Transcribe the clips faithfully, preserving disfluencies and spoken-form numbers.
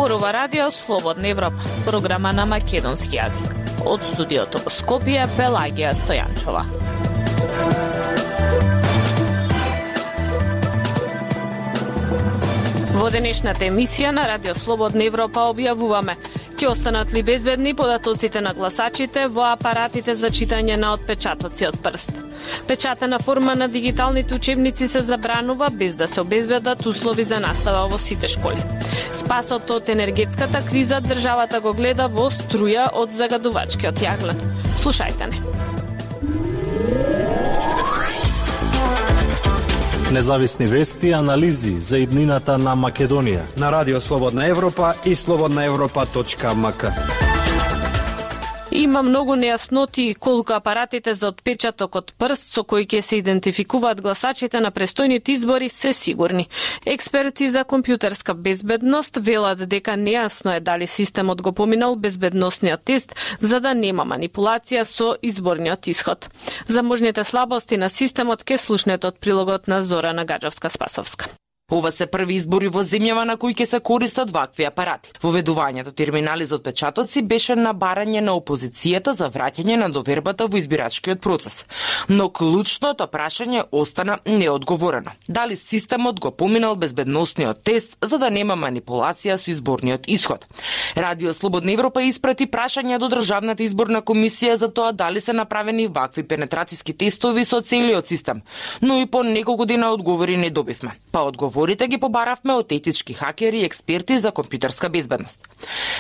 Зборува Радио Слободна Европа, програма на македонски јазик. Од студиото во Скопје, Пелагија Стојанчова. Во денешната емисија на Радио Слободна Европа објавуваме: ќе останат ли безбедни податоците на гласачите во апаратите за читање на отпечатоци од прст? Печатена форма на дигиталните учебници се забранува без да се обезбедат услови за настава во сите школи. Спасот од енергетската криза државата го гледа во струја од загадувачкиот јаглен. Слушајте не. Независни вести и анализи за иднината на Македонија на Радио Слободна Европа и слободна европа точка ем ка. Има многу нејасноти колку апаратите за отпечаток од прст со кои ќе се идентификуваат гласачите на престојните избори се сигурни. Експерти за компјутерска безбедност велат дека нејасно е дали системот го поминал безбедносниот тест за да нема манипулација со изборниот исход. За можните слабости на системот ке слушнете од прилогот на Зорана Гаджевска-Спасовска. Ова се први избори во земјава на кои ќе се користат вакви апарати. Воведувањето терминали за отпечатоци беше на барање на опозицијата за враќање на довербата во избирачкиот процес. Но клучното прашање остана неодговорено. Дали системот го поминал безбедносниот тест за да нема манипулација со изборниот исход? Радио Слободна Европа испрати прашања до Државната изборна комисија за тоа дали се направени вакви пенетратиски тестови со целиот систем, но и по неколку дена одговори не добивме. Па одговори Одговорите ги побаравме од етички хакери и експерти за компјутерска безбедност.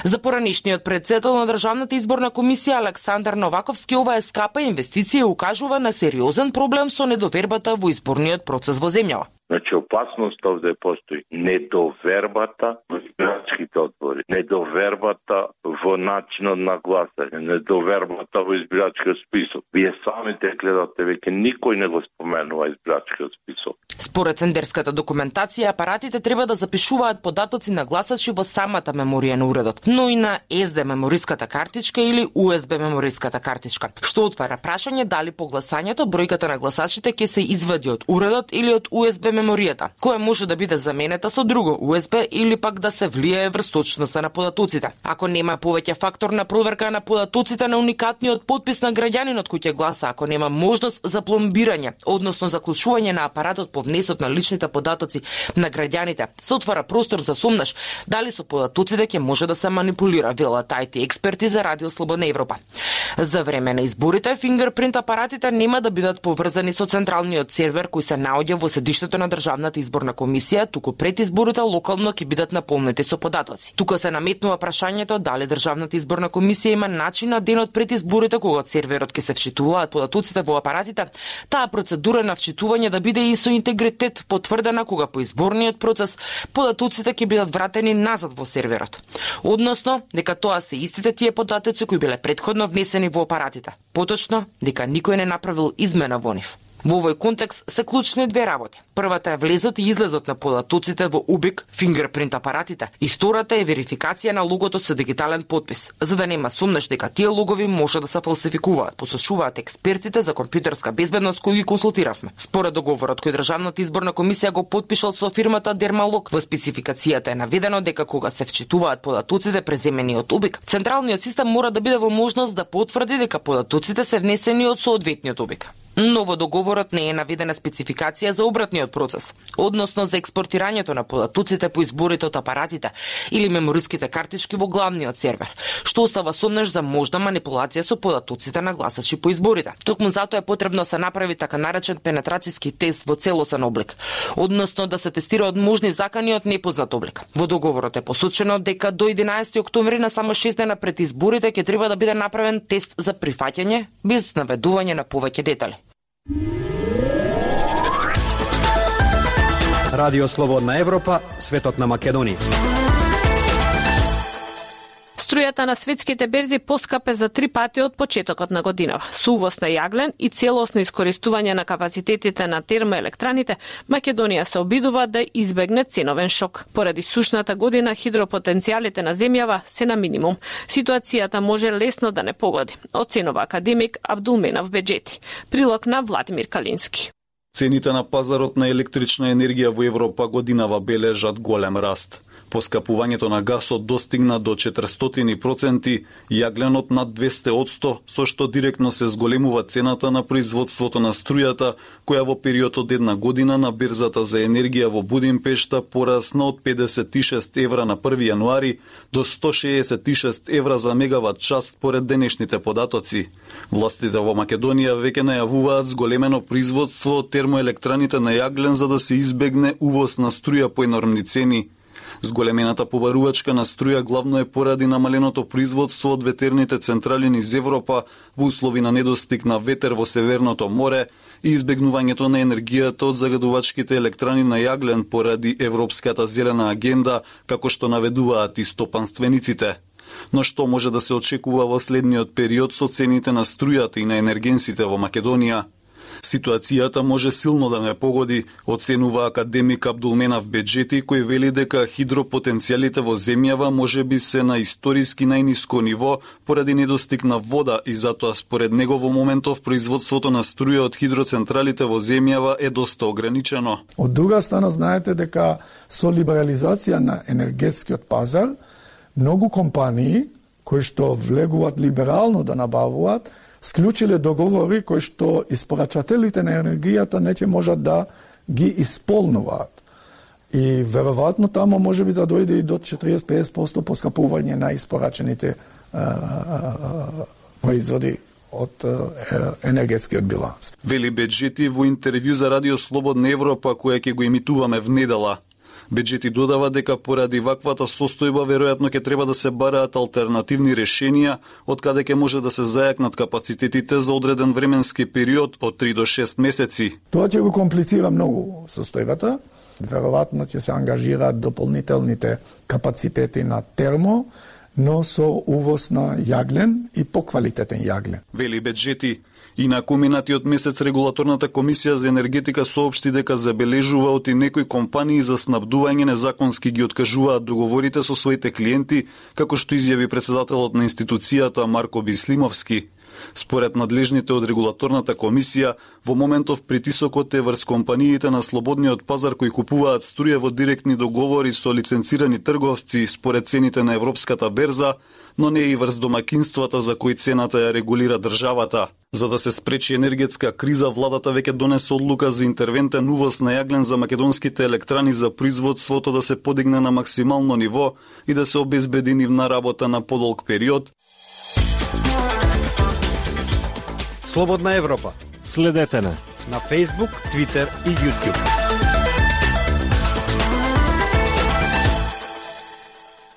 За поранешниот претседател на Државната изборна комисија Александар Новаковски, ова е скапа инвестиција и укажува на сериозен проблем со недовербата во изборниот процес во земјава. Значи, опасност овде постои. Недовербата во избирачките одбори, недовербата во начинот на гласање, недовербата во избирачкиот список. Вие самите гледате, веќе никој не го споменува избирачкиот список. Според тендерската документација, апаратите треба да запишуваат податоци на гласачи во самата меморија на уредот, но и на ес ди мемориската картичка или ю ес би мемориската картичка, што отвара прашање дали по гласањето бројката на гласачите ќе се извади од уредот или од ю ес би меморијата, која може да биде заменета со друго ю ес би или пак да се влијае врз точноста на податоците. Ако нема повеќе фактор на проверка на податоците на уникатниот потпис на граѓанинот кој ќе гласа, ако нема можност за пломбирање, односно заклучување на апаратот по внесот на личните податоци на граѓаните, се отвара простор за сумнаш дали со податоците ќе може да се манипулира, велат ай ти експерти за Радио Слободна Европа. За време на изборите, фингерпринт апаратите нема да бидат поврзани со централниот сервер кој се наоѓа во седиштето на Државната изборна комисија, туку пред изборите локално ќе бидат наполнети со податоци. Тука се наметнува прашањето дали Државната изборна комисија има начин на денот пред изборите кога серверот ќе се вчитуваат податоците во апаратите, таа процедура на вчитување да биде и со интегритет потврдена кога по изборниот процес податоците ќе бидат вратени назад во серверот. Односно, дека тоа се истите тие податоци кои биле претходно внесени во апаратите. Поточно, дека никој не направил измена во нив. Во овој контекст се клучни две работи. Првата е влезот и излезот на податоците во убик, фингерпринт апаратите, и втората е верификација на логото со дигитален потпис, за да нема сумнеш дека тие логови може да се фалсификуваат, посочуваат експертите за компјутерска безбедност кои ги консултиравме. Според договорот кој Државната изборна комисија го потпишал со фирмата Дермалог, во спецификацијата е наведено дека кога се вчитуваат податоците преземени од убик, централниот систем мора да биде во можност да потврди дека податоците се внесени од соодветниот убик. Но во договорот не е наведена спецификација за обратниот процес, односно за експортирањето на податоците по изборите од апаратите или мемориските картички во главниот сервер, што остава сумнеш за можна манипулација со податоците на гласачи по изборите. Токму затоа е потребно се направи така наречен пенетрацијски тест во целосен облик, односно да се тестира од можни закани од непознат облик. Во договорот е посочено дека до единаесети октомври на само шест дена пред изборите ќе треба да биде направен тест за прифаќање без наведување на повеќе детали. Радио Слободна Европа, светот на Македонија. Струјата на светските берзи поскапе за три пати од почетокот на годинава. Со увоз на јаглен и целосно искористување на капацитетите на термоелектраните, Македонија се обидува да избегне ценовен шок. Поради сушната година, хидропотенцијалите на земјава се на минимум. Ситуацијата може лесно да не погоди, оценува академик Абдулменав Беџети. Прилог на Владимир Калински. Цените на пазарот на електрична енергија во Европа годинава бележат голем раст. Поскапувањето на гасот достигна до четиристотини проценти, јагленот над двесте одсто, со што директно се зголемува цената на производството на струјата, која во период од една година на бирзата за енергија во Будимпешта порасна од педесет и шест евра на први јануари до сто шеесет и шест евра за мегават час според денешните податоци. Властите во Македонија веќе најавуваат зголемено производство од термоелектраните на јаглен за да се избегне увоз на струја по енормни цени. Зголемената побарувачка на струја главно е поради намаленото производство од ветерните централи низ Европа во услови на недостиг на ветер во Северното море и избегнувањето на енергијата од загадувачките електрани на јаглен поради Европската зелена агенда, како што наведуваат и стопанствениците. Но што може да се очекува во следниот период со цените на струјата и на енергенсите во Македонија? Ситуацијата може силно да не погоди, оценува академик Абдулменав Беджети, кој вели дека хидропотенцијалите во земјава може би се на историски најниско ниво поради недостиг на вода и затоа според него во моментов производството на струја од хидроцентралите во земјава е доста ограничено. Од друга страна знаете дека со либерализација на енергетскиот пазар многу компании кои што влегуваат либерално да набавуваат склучиле договори кои што испорачателите на енергијата не ќе можат да ги исполнуваат. И веројатно тамо може би да дојде и до четириесет до песет проценти поскапување на испорачените а, а, производи од енергетскиот биланс. Вели Беджети во интервју за Радио Слободна Европа која ќе го емитуваме внедела. Беджети додава дека поради ваквата состојба веројатно ќе треба да се бараат алтернативни решенија од каде ќе може да се зајакнат капацитетите за одреден временски период од три до шест месеци. Тоа ќе го комплицира многу состојбата. Веројатно ќе се ангажираат дополнителните капацитети на термо, но со увоз на јаглен и поквалитетен јаглен. Вели Беджети. Инаку минатиот месец регулаторната комисија за енергетика соопшти дека забележува оти некои компании за снабдување незаконски ги откажуваат договорите со своите клиенти, како што изјави председателот на институцијата Марко Бислимовски. Според надлежните од регулаторната комисија, во моментов притисокот е врз компаниите на слободниот пазар кои купуваат струја во директни договори со лиценцирани трговци според цените на европската берза, но не и врз домакинствата за кои цената ја регулира државата. За да се спречи енергетска криза, владата веќе донесе одлука за интервентен увоз на јаглен за македонските електрани за производството да се подигне на максимално ниво и да се обезбеди нивна работа на подолг период. Слободна Европа. Следете на на Facebook, Twitter и YouTube.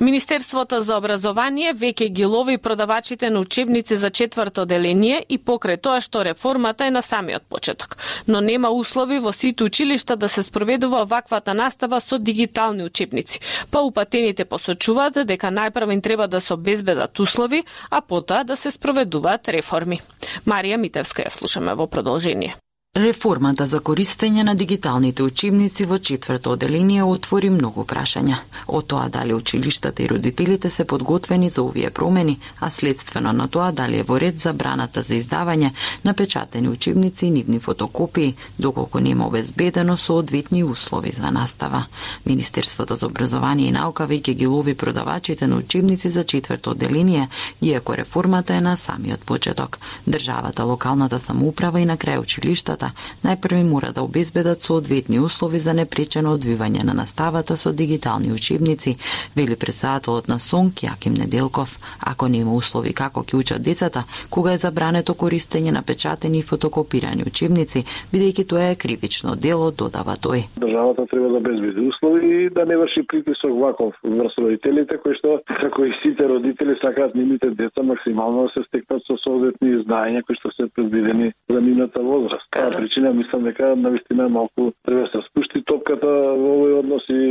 Министерството за образование веќе ги лови продавачите на учебници за четврто оделение и покрај тоа што реформата е на самиот почеток. Но нема услови во сите училишта да се спроведува ваквата настава со дигитални учебници. Па упатените посочуваат дека најпрво им треба да се обезбедат услови, а потоа да се спроведуваат реформи. Марија Митевска ја слушаме во продолжение. Реформата за користење на дигиталните учебници во четврто оделение отвори многу прашања. Од тоа дали училиштата и родителите се подготвени за овие промени, а следствено на тоа дали е во ред забраната за издавање на печатени учебници и нивни фотокопии, доколку нема обезбедено соодветни услови за настава. Министерството за образование и наука веќе ги лови продавачите на учебници за четврто оделение, иако реформата е на самиот почеток. Државата, локалната самоуправа и на крај училиштата најпрви мора да обезбедат соодветни услови за непречено одвивање на наставата со дигитални учебници, вели председателот на СОНК Јаким Неделков. Ако нема услови како ќе учат децата, кога е забрането користење на печатени и фотокопирани учебници, бидејќи тоа е кривично дело, додава тој. Државата треба да обезбеди услови и да не врши притисок ваков врз родителите, кои што, како и сите родители, сакаат нивните деца максимално да се стекнат со соодветни знаења кои што се предвидени за нивната возраст. Причина мислам дека навистина малку треба да се спушти топката во овој однос и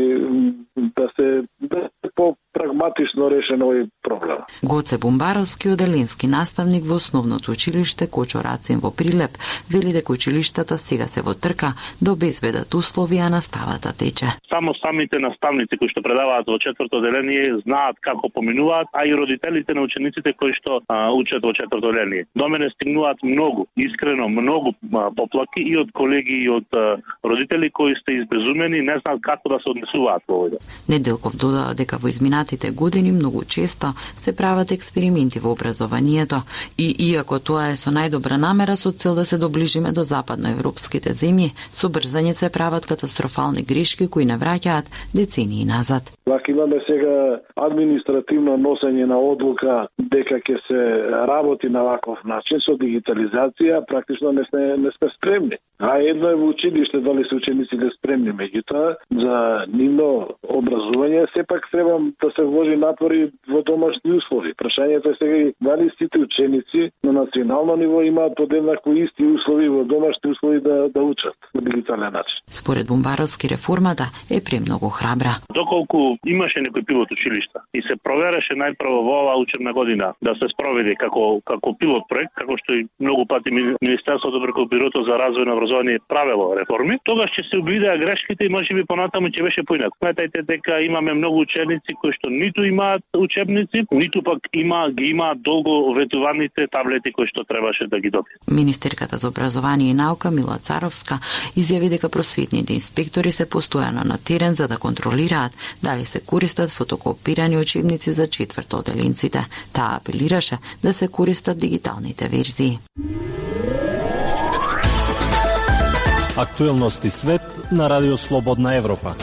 да се да се по прагматично решен овој проблема. Гоце Бумбаровски, оделенски наставник во основното училиште Кочо Рацин во Прилеп, вели дека училиштата сега се во трка да обезбедат услови, а наставата тече. Само самите наставници кои што предаваат во четврто оделение знаат како поминуваат, а и родителите на учениците кои што а, учат во четврто оделение. До мене стигнуваат многу, искрено многу а, поплаки и од колеги и од а, родители кои сте избезумени, не знаат како да се однесуваат во овој. Неделков додава дека во изминатите години многу често се прават експерименти во образованието и иако тоа е со најдобра намера со цел да се доближиме до западноевропските земји, со брзање се прават катастрофални грешки кои не враќаат децении назад. Вака имаме сега административно носење на одлука дека ќе се работи на ваков начин со дигитализација, практично не сме не сме спремни. А едно е во училиште дали се учениците спремни, меѓутоа за нивно образување сепак треба да се вложи напори во домашни услови. Прашањето е сега дали сите ученици на национално ниво имаат подеднакво исти услови во домашни услови да да учат на дигитален начин. Според Бумбаровски, реформата е премногу храбра. Доколку имаше некој пилот училишта и се провереше најпрво во оваа учебна година да се спроведе како како пилот проект, како што и многу пати Министерството преку Бирото за развој на образование правело реформи, тогаш ќе се увидеа грешките и можеби понатаму ќе беше поинаку. Сметајте дека имаме многу ученици кои што ниту имаат учебници, ниту пак има ги имаат долго ветуваните таблети кои што требаше да ги добијат. Министерката за образование и наука Мила Царовска изјави дека просветните инспектори се постојано на терен за да контролираат дали се користат фотокопирани учебници за четврто оделенците. Таа апелираше да се користат дигиталните верзии. Актуелности свет на Радио Слободна Европа.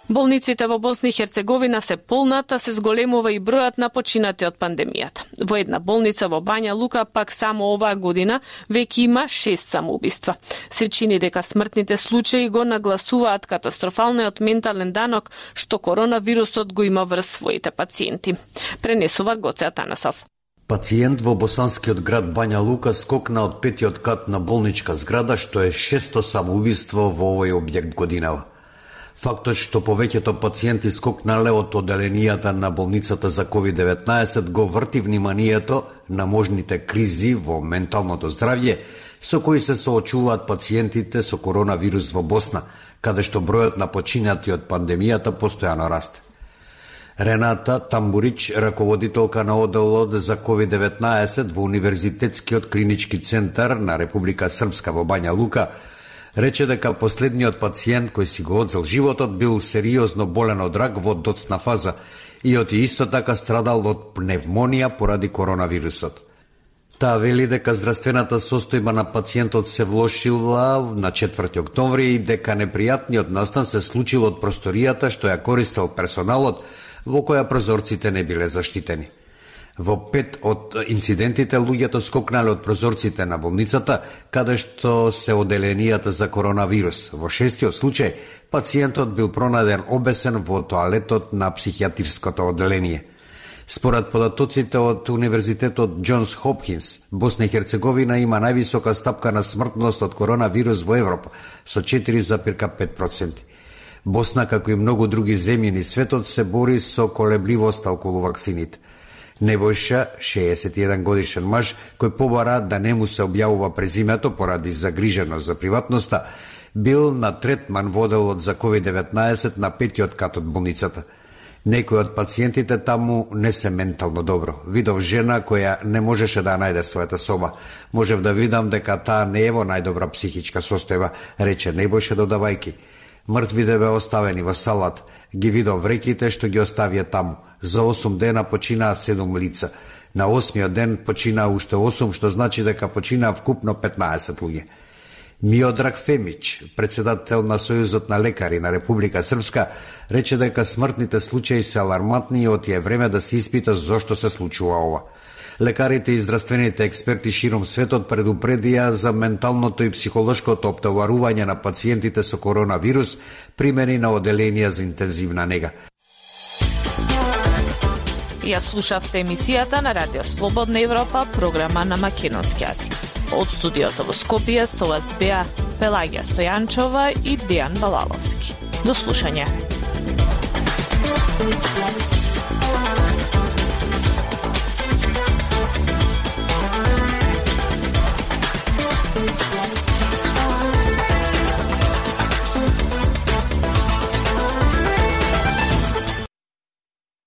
Болниците во Босна и Херцеговина се полнат, а се зголемува и бројот на починати од пандемијата. Во една болница во Бања Лука пак само оваа година веќе има шест самоубиства. Се чини дека смртните случаи го нагласуваат катастрофалниот ментален данок што коронавирусот го има врз своите пациенти. Пренесува Гоце Атанасов. Пациент во босанскиот град Бања Лука скокна од петиот кат на болничка зграда, што е шесто самоубиство во овој објект годинава. Фактот што повеќето пациенти скокнале од оделенијата на болницата за ковид деветнаесет го врти вниманието на можните кризи во менталното здравје со кои се соочуваат пациентите со коронавирус во Босна, каде што бројот на починати од пандемијата постојано расте. Рената Тамбурич, раководителка на оделот за ковид деветнаесет во Универзитетскиот клинички центар на Република Српска во Бања Лука, рече дека последниот пациент кој си го одзел животот бил сериозно болен од рак во доцна фаза и од исто така страдал од пневмонија поради коронавирусот. Таа вели дека здравствената состојба на пациентот се влошила на четврти октомври и дека непријатниот настан се случил од просторијата што ја користел персоналот, во која прозорците не биле заштитени. Во пет од инцидентите луѓето скокнале од прозорците на болницата, каде што се оделенијата за коронавирус. Во шестиот случај, пациентот бил пронајден обесен во тоалетот на психијатрското оделение. Според податоците од Универзитетот Џонс Хопкинс, Босна и Херцеговина има највисока стапка на смртност од коронавирус во Европа, со четири зарез пет проценти. Босна, како и многу други земји низ светот, се бори со колебливоста околу ваксините. Небојша, шеесет и еден годишен маж, кој побара да не му се објавува презимето поради загриженост за приватноста, бил на третман во оделот за ковид деветнаесет на петиот кат од болницата. Некои од пациентите таму не се ментално добро. Видов жена која не можеше да најде својата соба. Можев да видам дека таа не е во најдобра психичка состојба, рече Небојша додавајки. Мртвите бе оставени во салат, ги видов вреките што ги оставија таму. За осум дена починаа седум лица. На осмиот ден починаа уште осум, што значи дека починаа вкупно петнаесет луѓе. Миодраг Фемич, председател на Сојузот на лекари на Република Српска, рече дека смртните случаи се алармантни и оти е време да се испита зошто се случува ова. Лекарите и здравствените експерти широм светот предупредија за менталното и психолошкото оптоварување на пациентите со коронавирус, примени на оделенија за интензивна нега. Ја слушавте емисијата на Радио Слободна Европа, програма на македонски јазик. Од студиото во Скопје со вас беа Пелагија Стојанчова и Дејан Балаловски. До слушање.